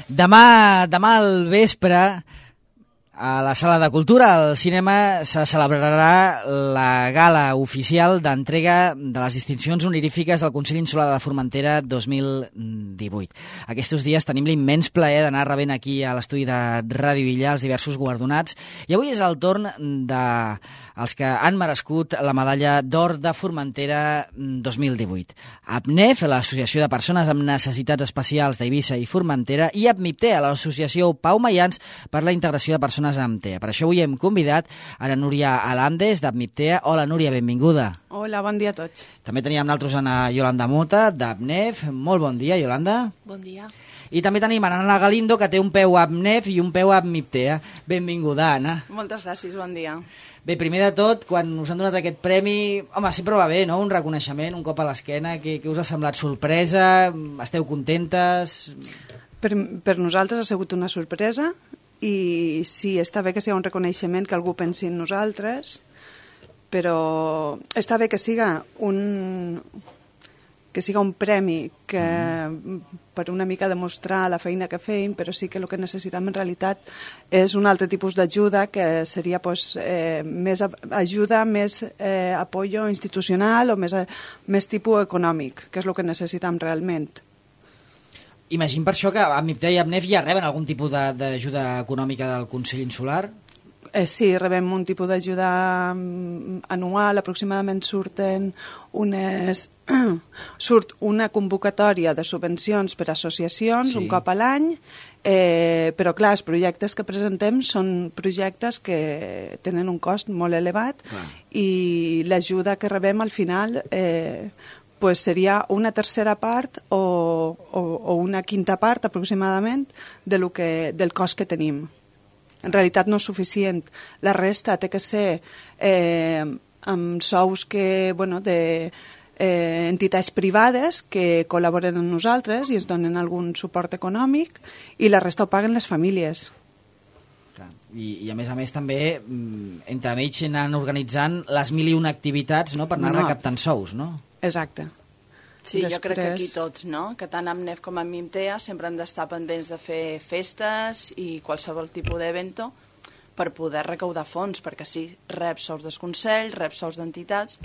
Demà al vespre, a la Sala de Cultura, al cinema, se celebrarà la gala oficial d'entrega de les distincions honorífiques del Consell Insular de Formentera 2018. Aquests dies tenim l'immens plaer d'anar rebent aquí a l'estudi de Ràdio Villar els diversos guardonats, i avui és el torn dels que han merescut la medalla d'or de Formentera 2018. APNEF, l'Associació de Persones amb Necessitats Especials d'Eivissa i Formentera, i APMIPTEA, l'Associació Pau Mayans per la Integració de Persones amb TEA. Per això avui hem convidat a la Núria Alandes, d'APMIPTEA. Hola, Núria, benvinguda. Hola, bon dia a tots. També teníem nosaltres a Yolanda Mota, d'APNEF. Molt bon dia, Yolanda. Bon dia. I també tenim a Anna Galindo, que té un peu a APNEF i un peu a APMIPTEA. Benvinguda, Anna. Moltes gràcies, bon dia. Bé, primer de tot, quan us han donat aquest premi, home, sempre va bé, no?, un reconeixement, un cop a l'esquena. Què us ha semblat? Sorpresa? Esteu contentes? Per nosaltres ha sigut una sorpresa, i sí, està bé que sigui un reconeixement, que algú pensi en nosaltres, però està bé que siga un premi que per una mica demostrar la feina que feim, però sí que el que necessitem en realitat és un altre tipus d'ajuda, que seria més ajuda, més apoyo institucional o més tipus econòmic, que és el que necessitem realment. Imagino per això que APMIPTEA i APNEF ja reben algun tipus d'ajuda econòmica del Consell Insular? Sí, rebem un tipus d'ajuda anual, aproximadament surt una convocatòria de subvencions per a associacions, sí, un cop a l'any, però clar, els projectes que presentem són projectes que tenen un cost molt elevat, i l'ajuda que rebem al final seria una tercera part o una quinta part aproximadament del cost que tenim. En realitat no és suficient. La resta té que ser amb sous d'entitats privades que col·laboren amb nosaltres i ens donen algun suport econòmic, i la resta ho paguen les famílies. I a més també entre ells anen organitzant les 1001 activitats, no?, per anar recaptant sous, no? Exacte. Sí, jo crec que aquí tots, no?, que tant APNEF com APMIPTEA sempre han d'estar pendents de fer festes i qualsevol tipus d'evento per poder recaudar fons, perquè sí, rep sous dels consells, rep sous d'entitats,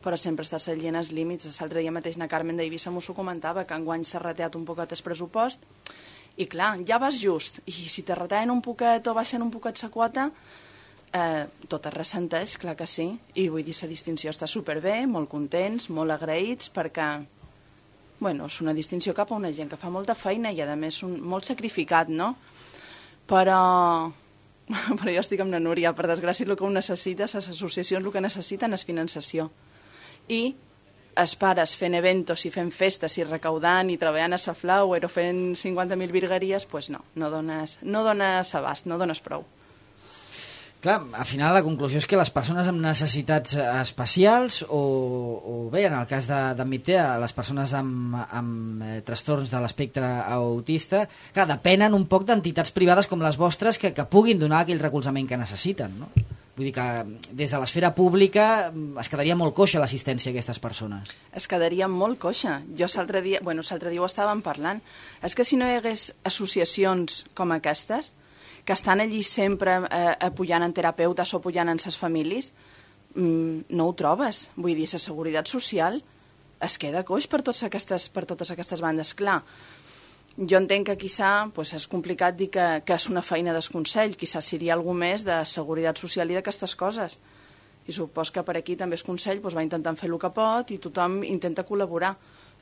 però sempre està seguint els límits. L'altre dia mateix na Carmen d'Eivissa m'ho comentava, que enguany s'ha reteat un poquet el pressupost, i clar, ja vas just, i si te retallen un poquet o baixen un poquet la quota, tot es ressenteix, clar que sí, i vull dir, la distinció està superbé, molt contents, molt agraïts, perquè és una distinció cap a una gent que fa molta feina i a més molt sacrificat, no? Però jo estic amb la Núria, per desgràcia el que ho necessita, les associacions el que necessiten és finançació, i els pares fent eventos i fent festes i recaudant i treballant a la Flower o fent 50.000 virgueries, no dones abast, no dones prou. Clar, al final la conclusió és que les persones amb necessitats especials o bé, en el cas d'APMIPTEA, les persones amb trastorns de l'espectre autista, clar, depenen un poc d'entitats privades com les vostres que puguin donar aquell recolzament que necessiten, no? Vull dir que des de l'esfera pública es quedaria molt coixa l'assistència a aquestes persones. Es quedaria molt coixa. Jo l'altre dia ho estàvem parlant. És que si no hi hagués associacions com aquestes, que estan allí sempre apoyant en terapeutes o apoyant en les famílies, no ho trobes. Vull dir, la seguretat social es queda coix per totes aquestes bandes. Clar, jo entenc que quizà és complicat dir que és una feina del Consell, quizà seria alguna més de seguretat social i d'aquestes coses. I supos que per aquí també el Consell va intentant fer el que pot i tothom intenta col·laborar,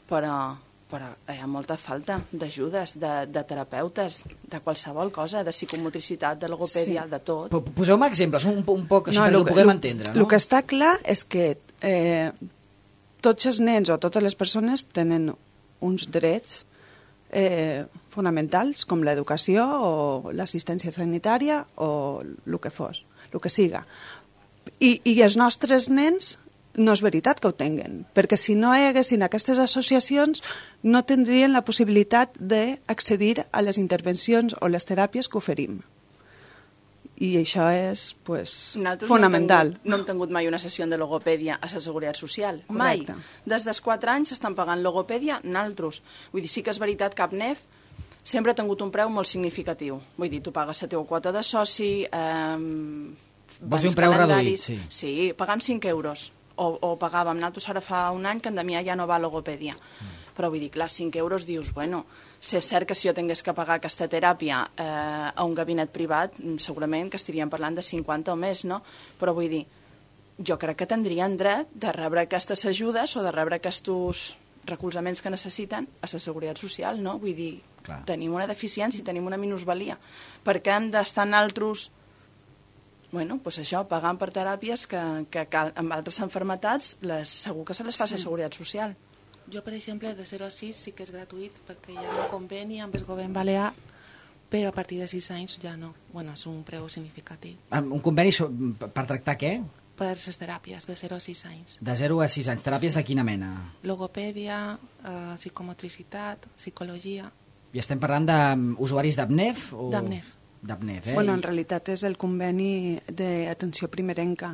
però hi ha molta falta d'ajudes, de terapeutes, de qualsevol cosa, de psicomotricitat, de logopèdia, de tot. Poseu-me exemples, un poc així perquè ho puguem entendre. El que està clar és que tots els nens o totes les persones tenen uns drets fonamentals, com l'educació o l'assistència sanitària o el que fos, el que siga. I els nostres nens no és veritat que ho tinguen, perquè si no hi haguessin aquestes associacions no tindrien la possibilitat d'accedir a les intervencions o les teràpies que oferim. I això és fonamental. No hem tingut mai una sessió de logopèdia a la Seguretat Social. Mai. Des dels 4 anys s'estan pagant logopèdia naltros. Vull dir, sí que és veritat que APNEF sempre ha tingut un preu molt significatiu. Vull dir, tu pagues la teva quota de soci... Vols dir un preu reduït, sí. Sí, pagam 5 euros. O pagàvem, nosaltres ara fa un any que en Damià ja no va a logopèdia. Però vull dir, clar, 5 euros dius, bueno, si és cert que si jo tingués que pagar aquesta teràpia a un gabinet privat, segurament que estaríem parlant de 50 o més, no? Però vull dir, jo crec que tindrien dret de rebre aquestes ajudes o de rebre aquests recolzaments que necessiten a la Seguretat Social, no? Vull dir, clar, tenim una deficiència, tenim una minusvalia. Per què hem d'estar en altres... Bueno, doncs això, pagant per teràpies que amb altres malalties segur que se les fa la Seguretat Social. Jo, per exemple, de 0 a 6 sí que és gratuït perquè hi ha un conveni amb el govern balear, però a partir de 6 anys ja no. Bueno, és un preu significatiu. Un conveni per tractar què? Per les teràpies, de 0 a 6 anys. De 0 a 6 anys. Teràpies de quina mena? Logopèdia, psicomotricitat, psicologia... I estem parlant d'usuaris d'ABNEF? D'ABNEF. D'ABNEF, Bueno, en realitat és el conveni d'atenció primerenca,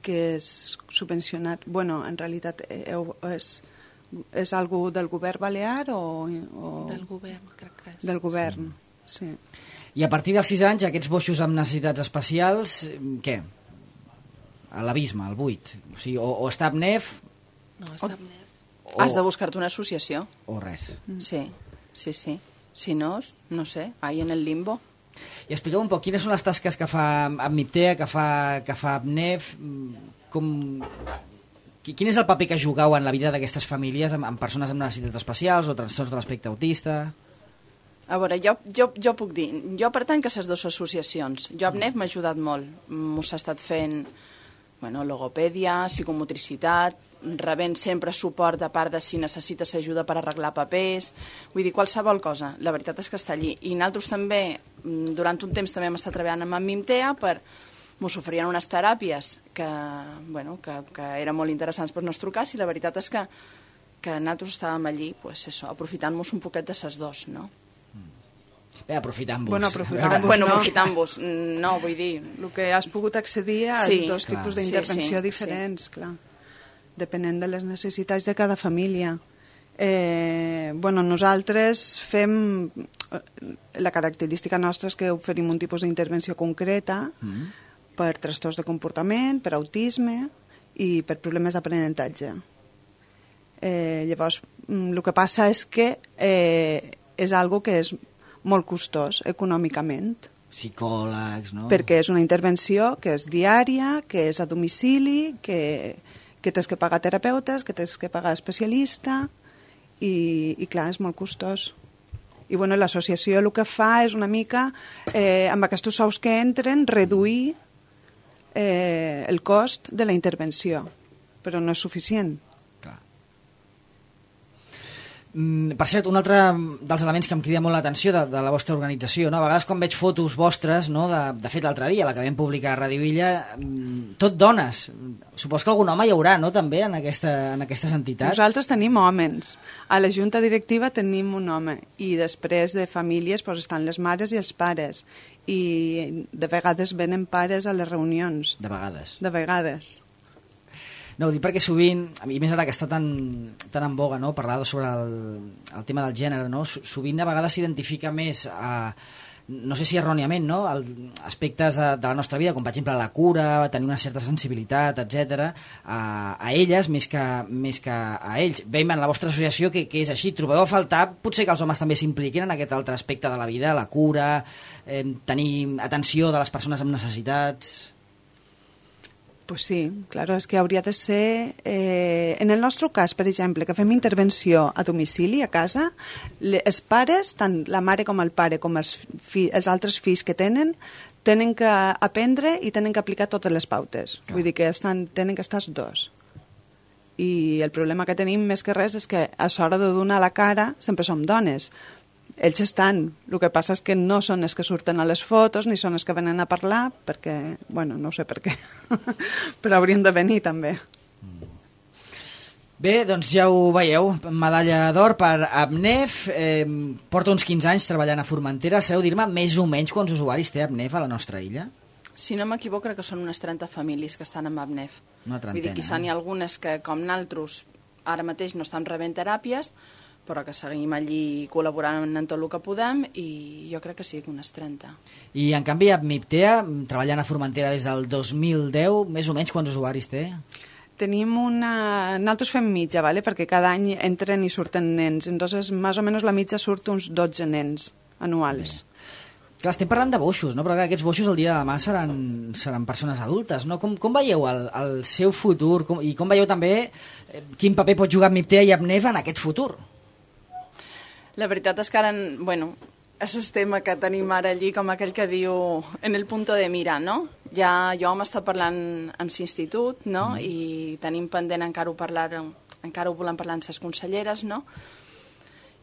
que és subvencionat. Bueno, en realitat és algú del govern balear o... Del govern, crec que és. Del govern, sí. I a partir dels 6 anys, aquests boixos amb necessitats especials, què? A l'abisme, al buit. O sigui, o està ABNEF... No, està ABNEF. Has de buscar-te una associació. O res. Sí. Si no, no sé, ahí en el limbo. I expliqueu un poc, quines són les tasques que fa ABNIPTEA, que fa ABNEF, quin és el paper que jugueu en la vida d'aquestes famílies amb persones amb necessitats especials o trastorns de l'espectre autista? A veure, jo puc dir, jo pertanc a les dues associacions. Jo ABNEF m'ha ajudat molt, m'ho s'ha estat fent logopèdia, psicomotricitat, rebent sempre suport de part de si necessites ajuda per arreglar papers, vull dir, qualsevol cosa, la veritat és que està allí. I nosaltres també, durant un temps també hem estat treballant amb ABNIPTEA mos oferien unes teràpies que eren molt interessants per nostre cas, i la veritat és que nosaltres estàvem allí, aprofitant-nos un poquet de ses dos, no? Bé, aprofitant-vos. Aprofitant-vos, no, vull dir... El que has pogut accedir a dos tipus d'intervenció diferents, clar, depenent de les necessitats de cada família. Nosaltres fem... La característica nostra és que oferim un tipus d'intervenció concreta per trastorns de comportament, per autisme i per problemes d'aprenentatge. Llavors, el que passa és que és algo que és molt costós econòmicament. Psicòlegs, no? Perquè és una intervenció que és diària, que és a domicili, que tens que pagar terapeutes, que tens que pagar especialista, i clar, és molt costós. I l'associació el que fa és una mica, amb aquests sous que entren, reduir el cost de la intervenció, però no és suficient. Per cert, un altre dels elements que em crida molt l'atenció de la vostra organització, no? A vegades quan veig fotos vostres, no? De fet l'altre dia, la que vam publicar a Radio Illa, tot dones. Supos que algun home hi haurà, no?, també en aquestes entitats. Nosaltres tenim homes. A la junta directiva tenim un home, i després de famílies estan les mares i els pares, i de vegades venen pares a les reunions. De vegades. De vegades. No, ho dic perquè sovint, i més ara que està tan en boga, no?, parlar sobre el tema del gènere, no?, sovint a vegades s'identifica més no sé si erròniament, no?, aspectes de la nostra vida, com per exemple la cura, tenir una certa sensibilitat, etc., a elles més que a ells. Veiem en la vostra associació que és així. Trobeu a faltar potser que els homes també s'impliquin en aquest altre aspecte de la vida, la cura, tenir atenció de les persones amb necessitats... Pues sí, claro, és que hauria de ser... en el nostre cas, per exemple, que fem intervenció a domicili, a casa, els pares, tant la mare com el pare, com els altres fills que tenen que aprendre i tenen que aplicar totes les pautes. Vull dir que tenen que estar els dos. I el problema que tenim més que res és que a l'hora de donar la cara sempre som dones. Ells estan, el que passa és que no són els que surten a les fotos ni són els que venen a parlar, perquè, no ho sé per què, però haurien de venir també. Bé, doncs ja ho veieu, medalla d'or per ABNEF, porta uns 15 anys treballant a Formentera. Sabeu dir-me més o menys quants usuaris té ABNEF a la nostra illa? Si no m'equivoco, crec que són unes 30 famílies que estan amb ABNEF. Una trentena. Vull dir, quizà n'hi ha algunes que, com naltros, ara mateix no estan rebent teràpies, però que seguim allí col·laborant en tot el que podem i jo crec que sí, unes 30. I en canvi a MIPTEA, treballant a Formentera des del 2010, més o menys quants usuaris té? Tenim nosaltres fem mitja, ¿vale? Perquè cada any entren i surten nens, entonces més o menys la mitja surt uns 12 nens anuals. Clar, estem parlant de boixos, no? Però clar, aquests boixos el dia de demà seran persones adultes, no? Com veieu el seu futur i com veieu també quin paper pot jugar MIPTEA i ABNEF en aquest futur? La veritat és que ara, bueno, és el tema que tenim ara allí, com aquell que diu en el punto de mira, no? Ja jo hem estat parlant amb l'institut, no? I tenim pendent encara ho volem parlar amb les conselleres, no?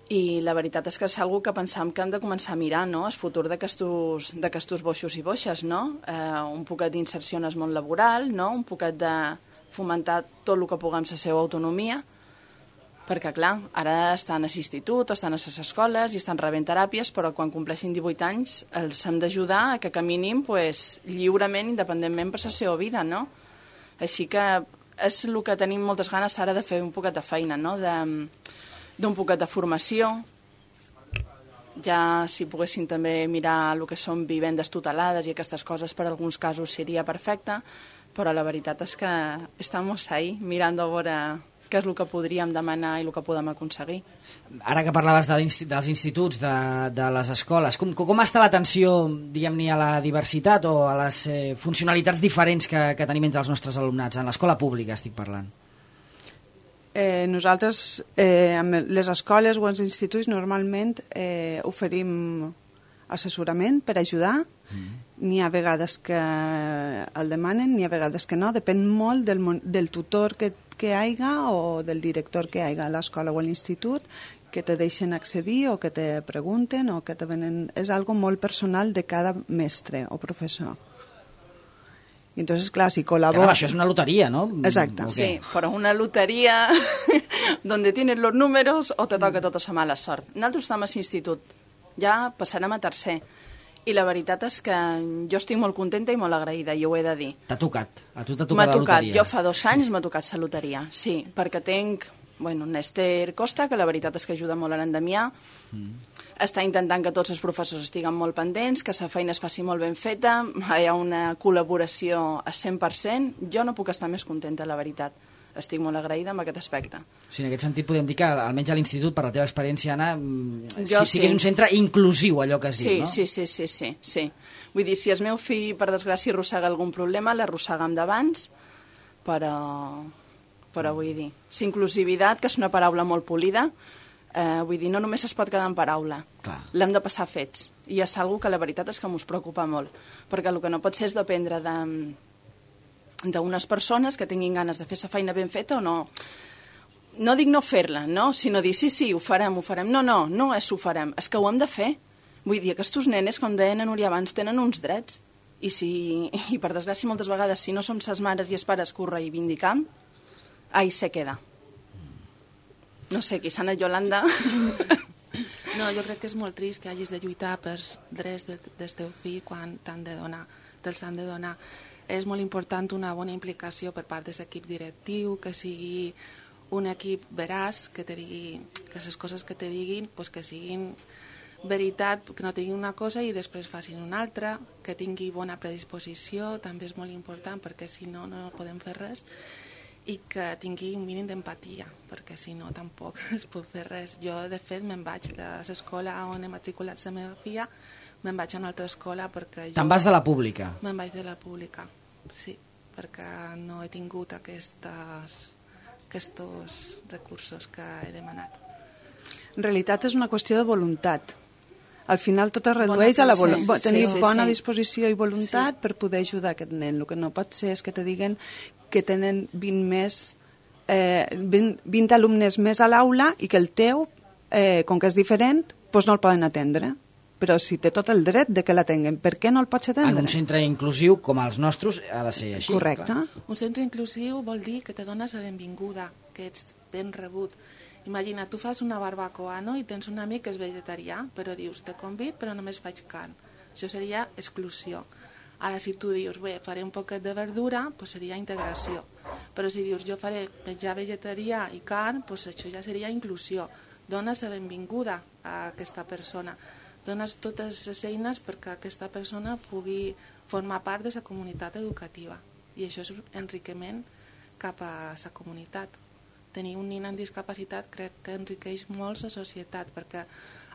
I la veritat és que és algo que pensam que hem de començar a mirar, no? El futur d'aquestos boixos i boixes, no? Un poquet d'inserció en el món laboral, no? Un poquet de fomentar tot el que puguem la seva autonomia, perquè, clar, ara estan a l'institut, estan a les escoles i estan rebent teràpies, però quan compleixin 18 anys els hem d'ajudar a que caminin pues, lliurement, independentment per la seva vida, no? Així que és el que tenim moltes ganes ara de fer un poquet de feina, no? D'un poquet de formació. Ja si poguessin també mirar el que són vivendes tutelades i aquestes coses, per alguns casos seria perfecte, però la veritat és que estem ahí mirant a veure què és el que podríem demanar i el que podem aconseguir. Ara que parlaves dels instituts, de les escoles, com està l'atenció, diguem-ne, a la diversitat o a les funcionalitats diferents que tenim entre els nostres alumnats? En l'escola pública estic parlant. Nosaltres, amb les escoles o els instituts, normalment oferim assessorament per ajudar. N'hi ha vegades que el demanen, n'hi ha vegades que no. Depèn molt del tutor que hi haiga o del director que hi haiga a l'escola o a l'institut, que te deixen accedir o que te pregunten o que te venen... És algo molt personal de cada mestre o professor. I entonces, clar, si col·labora... Clar, això és una loteria, ¿no? Exacte. Sí, però una loteria donde tienes los números o te toca tota la mala sort. Nosaltres estem a l'institut, ja passarem a tercer. I la veritat és que jo estic molt contenta i molt agraïda, i ho he de dir. T'ha tocat? A tu t'ha tocat la loteria? Jo fa 2 anys m'ha tocat la loteria, sí, perquè tenc un Esther Costa, que la veritat és que ajuda molt a l'Endemià, està intentant que tots els professors estiguen molt pendents, que la feina es faci molt ben feta, hi ha una col·laboració a 100%, jo no puc estar més contenta, la veritat. Estic molt agraïda amb aquest aspecte. Sí, en aquest sentit podem dir que almenys a l'institut, per la teva experiència, Anna, sí que és un centre inclusiu, allò que es diu, no? Sí. Vull dir, si el meu fill, per desgràcia, arrossega algun problema, l'arrossega d'abans, però vull dir, inclusivitat, que és una paraula molt polida, vull dir, no només es pot quedar en paraula, l'hem de passar a fets, i és una que la veritat és que m'us preocupa molt, perquè el que no pot ser és dependre d'unes persones que tinguin ganes de fer la feina ben feta o no. No dic no fer-la, no? Sinó dir sí, ho farem. No és ho farem, és que ho hem de fer. Vull dir, aquests nenes, com deien a Núria abans, tenen uns drets. I per desgràcia, moltes vegades, si no som ses mares i els pares que ho reivindicam, ahí se queda. No sé, qui sana Yolanda... No, jo crec que és molt trist que hagis de lluitar pels drets del teu fill quan te'ls han de donar. És molt important una bona implicació per part de l'equip directiu, que sigui un equip veraç, que te digui, que les coses que te diguin pues que siguin veritat, que no tinguin una cosa i després facin una altra, que tingui bona predisposició, també és molt important perquè si no, no podem fer res, i que tingui un mínim d'empatia, perquè si no tampoc es pot fer res. Jo, de fet, me'n vaig de l'escola on he matriculat la meva filla, me'n vaig a una altra escola perquè... Te'n vas de la pública? Me'n vaig de la pública, sí, perquè no he tingut aquests recursos que he demanat. En realitat és una qüestió de voluntat. Al final tot es redueix a la voluntat. Tenir bona disposició i voluntat per poder ajudar aquest nen. El que no pot ser és que te diguen que tenen 20 alumnes més a l'aula i que el teu, com que és diferent, doncs no el poden atendre. Però si té tot el dret de que l'atenguen, per què no el pots atendre? En un centre inclusiu com els nostres ha de ser així. Correcte. Clar. Un centre inclusiu vol dir que te dones la benvinguda, que ets ben rebut. Imagina, tu fas una barbacoa, no?, i tens un amic que és vegetarià, però dius, te convid però només faig carn. Això seria exclusió. Ara, si tu dius, bé, faré un poquet de verdura, doncs seria integració. Però si dius, jo faré menjar vegetarià i carn, doncs això ja seria inclusió. dones la benvinguda a aquesta persona, dones totes les eines perquè aquesta persona pugui formar part de la comunitat educativa, i això és enriquiment cap a la comunitat. Tenir un nin amb discapacitat crec que enriqueix molt la societat, perquè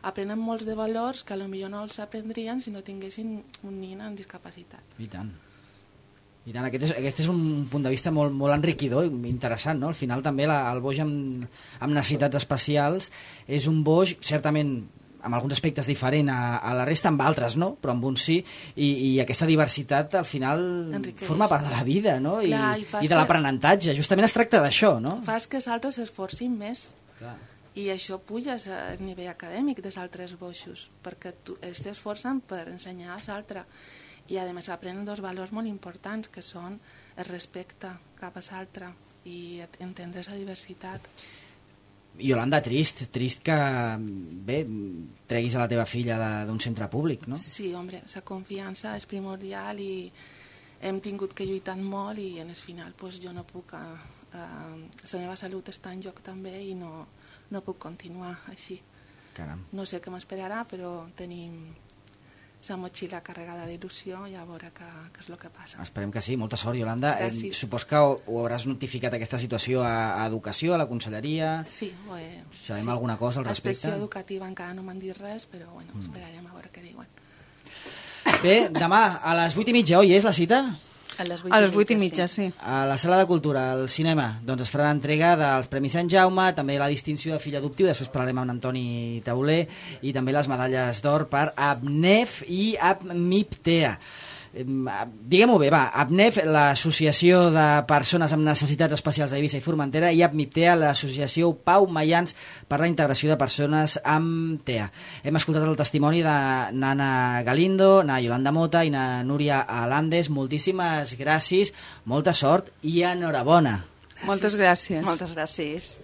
aprenen molts de valors que potser no els aprendrien si no tinguessin un nin amb discapacitat. I tant. I tant, aquest és un punt de vista molt, molt enriquidor i interessant, no? Al final també el boix amb necessitats especials és un boix, certament, amb alguns aspectes diferent a la resta, amb altres, no? Però amb uns sí, i aquesta diversitat al final enriqueix. Forma part de la vida, no? Clar, I de l'aprenentatge. Justament es tracta d'això, no? Fas que els altres s'esforcin més. Clar. I això puja al nivell acadèmic dels altres boixos, perquè ells s'esforcen per ensenyar als altres. I a més aprenen dos valors molt importants, que són el respecte cap a l'altre i entendre la diversitat. Iolanda, trist que bé, treguis a la teva filla d'un centre públic, no? Sí, home, la confiança és primordial i hem tingut que lluitar molt i en el final pues, jo no puc, la meva salut està en joc també i no puc continuar així. Caram. No sé què m'esperarà, però tenim la motxilla carregada d'il·lusió i a veure què és el que passa. Esperem que sí. Molta sort, Iolanda. Supos que ho hauràs notificat aquesta situació a Educació, a la Conselleria? Sí, ho he... Sabem alguna cosa al respecte? A Inspecció Educativa encara no m'han dit res, però bueno, esperarem a veure què diuen. Bé, demà a les 8:30, oi, és la cita? A les 8:30, sí. A la Sala de Cultura, al cinema, doncs es farà l'entrega dels Premis Sant Jaume, també la distinció de fill adoptiu, després parlarem amb Antoni Tauler, i també les medalles d'or per ABNEF i ABMIPTEA. Diguem-ho bé, va, ABNEF, l'Associació de Persones amb Necessitats Especials d'Eivissa i Formentera, i ABMIPTEA, l'Associació Pau Mayans per la Integració de Persones amb TEA. Hem escoltat el testimoni de Nana Galindo, na Yolanda Mota i na Núria Alandes. Moltíssimes gràcies, molta sort i enhorabona. Moltes gràcies. Moltes gràcies.